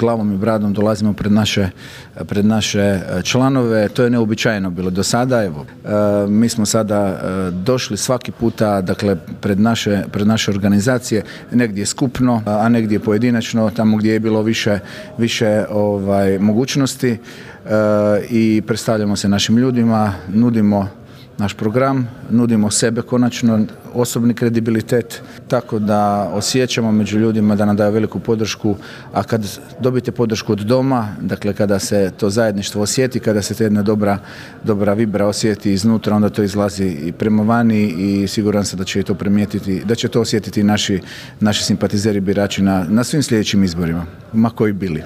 Glavom i bradom dolazimo pred naše članove, to je neuobičajeno bilo do sada. Evo, mi smo sada došli svaki puta, dakle, pred naše organizacije, negdje skupno, a negdje pojedinačno, tamo gdje je bilo više mogućnosti, i predstavljamo se našim ljudima, nudimo naš program, nudimo sebe konačno, osobni kredibilitet, tako da osjećamo među ljudima da nam daju veliku podršku, a kad dobijete podršku od doma, dakle kada se to zajedništvo osjeti, kada se ta jedna dobra vibra osjeti iznutra, onda to izlazi i prema vani i siguran sam da će to primijetiti, da će to osjetiti naši simpatizeri, birači na svim sljedećim izborima, ma koji bili.